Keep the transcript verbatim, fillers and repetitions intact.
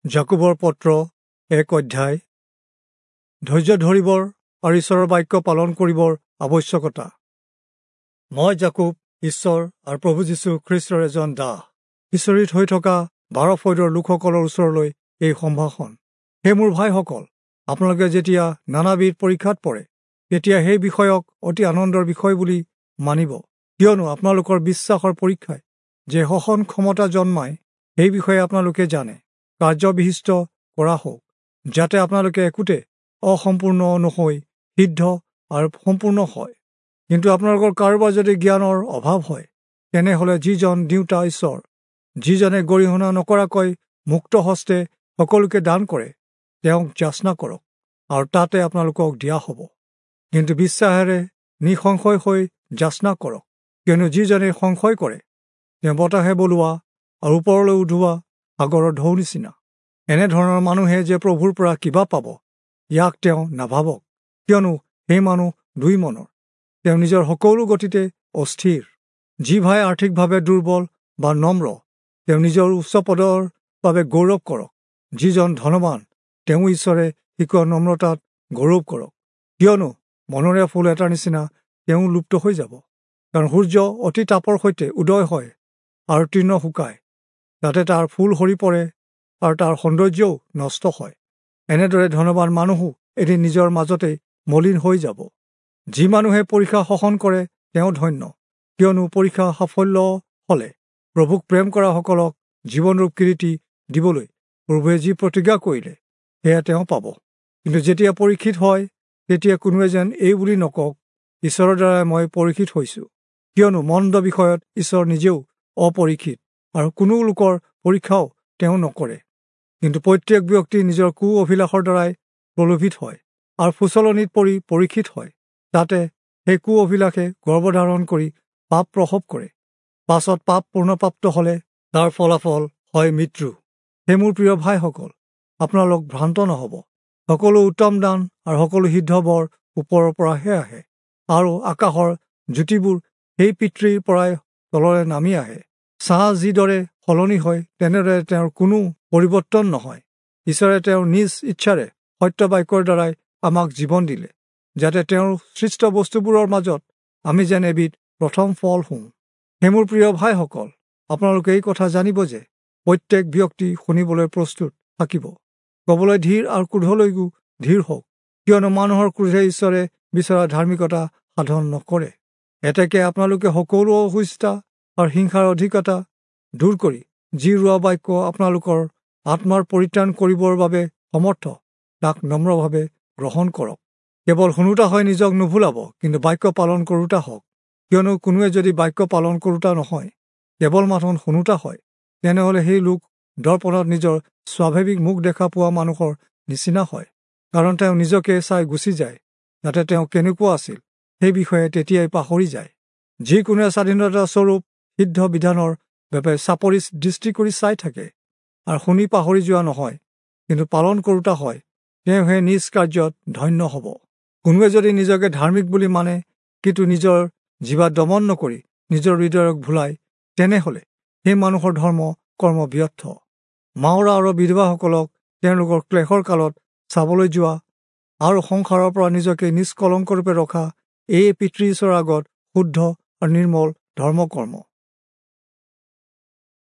যাকোবৰ পত্ৰ এক অধ্যায়। ধৈৰ্য ধৰিবৰ আৰু ঈশ্বৰৰ বাক্য পালন কৰিবৰ আৱশ্যকতা। মই যাকোব, ঈশ্বৰ আৰু প্ৰভু যীশু খ্ৰীষ্টৰ এজন দাস, ঈশ্বৰীত হৈ থকা বাৰ ফৈদৰ লোকসকলৰ ওচৰলৈ এই সম্ভাষণ। হে মোৰ ভাইসকল, আপোনালোকে যেতিয়া নানাবিধ পৰীক্ষাত পৰে, তেতিয়া সেই বিষয়ক অতি আনন্দৰ বিষয় বুলি মানিব, কিয়নো আপোনালোকৰ বিশ্বাসৰ পৰীক্ষাই যে সহন ক্ষমতা জন্মায়, সেই বিষয়ে আপোনালোকে জানে। কাৰ্যবিশিষ্ট কৰা হওক, যাতে আপোনালোকে একোতে অসম্পূৰ্ণ নহৈ সিদ্ধ আৰু সম্পূৰ্ণ হয়। কিন্তু আপোনালোকৰ কাৰোবাৰ যদি জ্ঞানৰ অভাৱ হয়, তেনেহ'লে যিজন দিওঁতা ঈশ্বৰ, যিজনে গৰিহণা নকৰাকৈ মুক্ত হস্তে সকলোকে দান কৰে, তেওঁক যাচনা কৰক, আৰু তাতে আপোনালোকক দিয়া হ'ব। কিন্তু বিশ্বাসেৰে নিঃসংশয় হৈ যাচনা কৰক, কিয়নো যিজনে সংশয় কৰে, তেওঁ বতাহে বলোৱা আৰু ওপৰলৈ উঠোৱা সাগৰৰ ঢৌ নিচিনা। এনেধৰণৰ মানুহে যে প্ৰভুৰ পৰা কিবা পাব, ইয়াক তেওঁ নাভাবক, কিয়নো সেই মানুহ দুই মনৰ, তেওঁ নিজৰ সকলো গতিতে অস্থিৰ। যি ভাই আৰ্থিকভাৱে দুৰ্বল বা নম্ৰ, তেওঁ নিজৰ উচ্চ পদৰ বাবে গৌৰৱ কৰক। যিজন ধনৱান, তেওঁ ঈশ্বৰে শিকোৱা নম্ৰতাত গৌৰৱ কৰক, কিয়নো মনৰে ফুল এটাৰ নিচিনা তেওঁ লুপ্ত হৈ যাব। কাৰণ সূৰ্য অতি তাপৰ সৈতে উদয় হয় আৰু তৃণ শুকায়, তাতে তাৰ ফুল সৰি পৰে আৰু তাৰ সৌন্দৰ্যও নষ্ট হয়। এনেদৰে ধনৱান মানুহো এদিন নিজৰ মাজতেই মলিন হৈ যাব। যি মানুহে পৰীক্ষা সহন কৰে, তেওঁ ধন্য, কিয়নো পৰীক্ষা সাফল্য হ'লে প্ৰভুক প্ৰেম কৰাসকলক জীৱনৰূপ কিৰীটি দিবলৈ প্ৰভুৱে যি প্ৰতিজ্ঞা কৰিলে, সেয়া তেওঁ পাব। কিন্তু যেতিয়া পৰীক্ষিত হয়, তেতিয়া কোনোৱে যেন এই বুলি নকওক, ঈশ্বৰৰ দ্বাৰাই মই পৰীক্ষিত হৈছোঁ, কিয়নো মন্দ বিষয়ত ঈশ্বৰ নিজেও অপৰীক্ষিত আৰু কোনো লোকৰ পৰীক্ষাও তেওঁ নকৰে। কিন্তু প্ৰত্যেক ব্যক্তি নিজৰ কু অভিলাষৰ দ্বাৰাই প্ৰলোভিত হয় আৰু ফুচলনিত পৰি পৰীক্ষিত হয়। তাতে সেই কু অভিলাষে গৰ্ভধাৰণ কৰি পাপ প্ৰসৱ কৰে। পাছত পাপ পূৰ্ণপ্ৰাপ্ত হ'লে তাৰ ফলাফল হয় মৃত্যু। হে মোৰ প্ৰিয় ভাইসকল, আপোনালোক ভ্ৰান্ত নহ'ব। সকলো উত্তম দান আৰু সকলো সিদ্ধ বৰ ওপৰৰ পৰাহে আহে, আৰু আকাশৰ জ্যোতিবোৰ সেই পিতৃৰ পৰাই তললৈ নামি আহে। ছাঁ যিদৰে সলনি হয়, তেনেদৰে তেওঁৰ কোনো পৰিৱৰ্তন নহয়। ঈশ্বৰে তেওঁৰ নিজ ইচ্ছাৰে সত্য বাক্যৰ দ্বাৰাই আমাক জীৱন দিলে, যাতে তেওঁৰ সৃষ্ট বস্তুবোৰৰ মাজত আমি যেন এবিধ প্ৰথম ফল হওঁ। হে মোৰ প্ৰিয় ভাইসকল, আপোনালোকে এই কথা জানিব যে প্ৰত্যেক ব্যক্তি শুনিবলৈ প্ৰস্তুত থাকিব, ক'বলৈ ধীৰ আৰু ক্ৰোধলৈকো ধীৰ হওক, কিয়নো মানুহৰ ক্ৰোধে ঈশ্বৰে বিচৰা ধাৰ্মিকতা সাধন নকৰে। এতেকে আপোনালোকে সকলো অসুস্থতা আৰু হিংসাৰ অধিকতা দূৰ কৰি যি ৰোৱা বাক্য আপোনালোকৰ আত্মাৰ পৰিত্ৰাণ কৰিবৰ বাবে সমৰ্থ, তাক নম্ৰভাৱে গ্ৰহণ কৰক। কেৱল শুনোতা হৈ নিজক নুভুলাব, কিন্তু বাক্য পালন কৰোতা হওক। কিয়নো কোনোৱে যদি বাক্য পালন কৰোতা নহয়, কেৱল মাথোন শুনোতা হয়, তেনেহ'লে সেই লোক দৰ্পণত নিজৰ স্বাভাৱিক মুখ দেখা পোৱা মানুহৰ নিচিনা হয়। কাৰণ তেওঁ নিজকে চাই গুচি যায়, যাতে তেওঁ কেনেকুৱা আছিল সেই বিষয়ে তেতিয়াই পাহৰি যায়। যিকোনোৱে স্বাধীনতা স্বৰূপ সিদ্ধ বিধানৰ বাবে চাপৰি দৃষ্টি কৰি চাই থাকে আৰু শুনি পাহৰি যোৱা নহয়, কিন্তু পালন কৰোতা হয়, তেওঁহে নিজ কাৰ্যত ধন্য হ'ব। কোনোৱে যদি নিজকে ধাৰ্মিক বুলি মানে, কিন্তু নিজৰ জীৱা দমন নকৰি নিজৰ হৃদয়ক ভুলায়, তেনেহ'লে সেই মানুহৰ ধৰ্ম কৰ্ম ব্যৰ্থ। মাওৰা আৰু বিধৱাসকলক তেওঁলোকৰ ক্লেশৰ কালত চাবলৈ যোৱা আৰু সংসাৰৰ পৰা নিজকে নিষ্কলংকৰূপে ৰখা, এই পিতৃ ঈশ্বৰৰ আগত শুদ্ধ আৰু নিৰ্মল ধৰ্মকৰ্ম।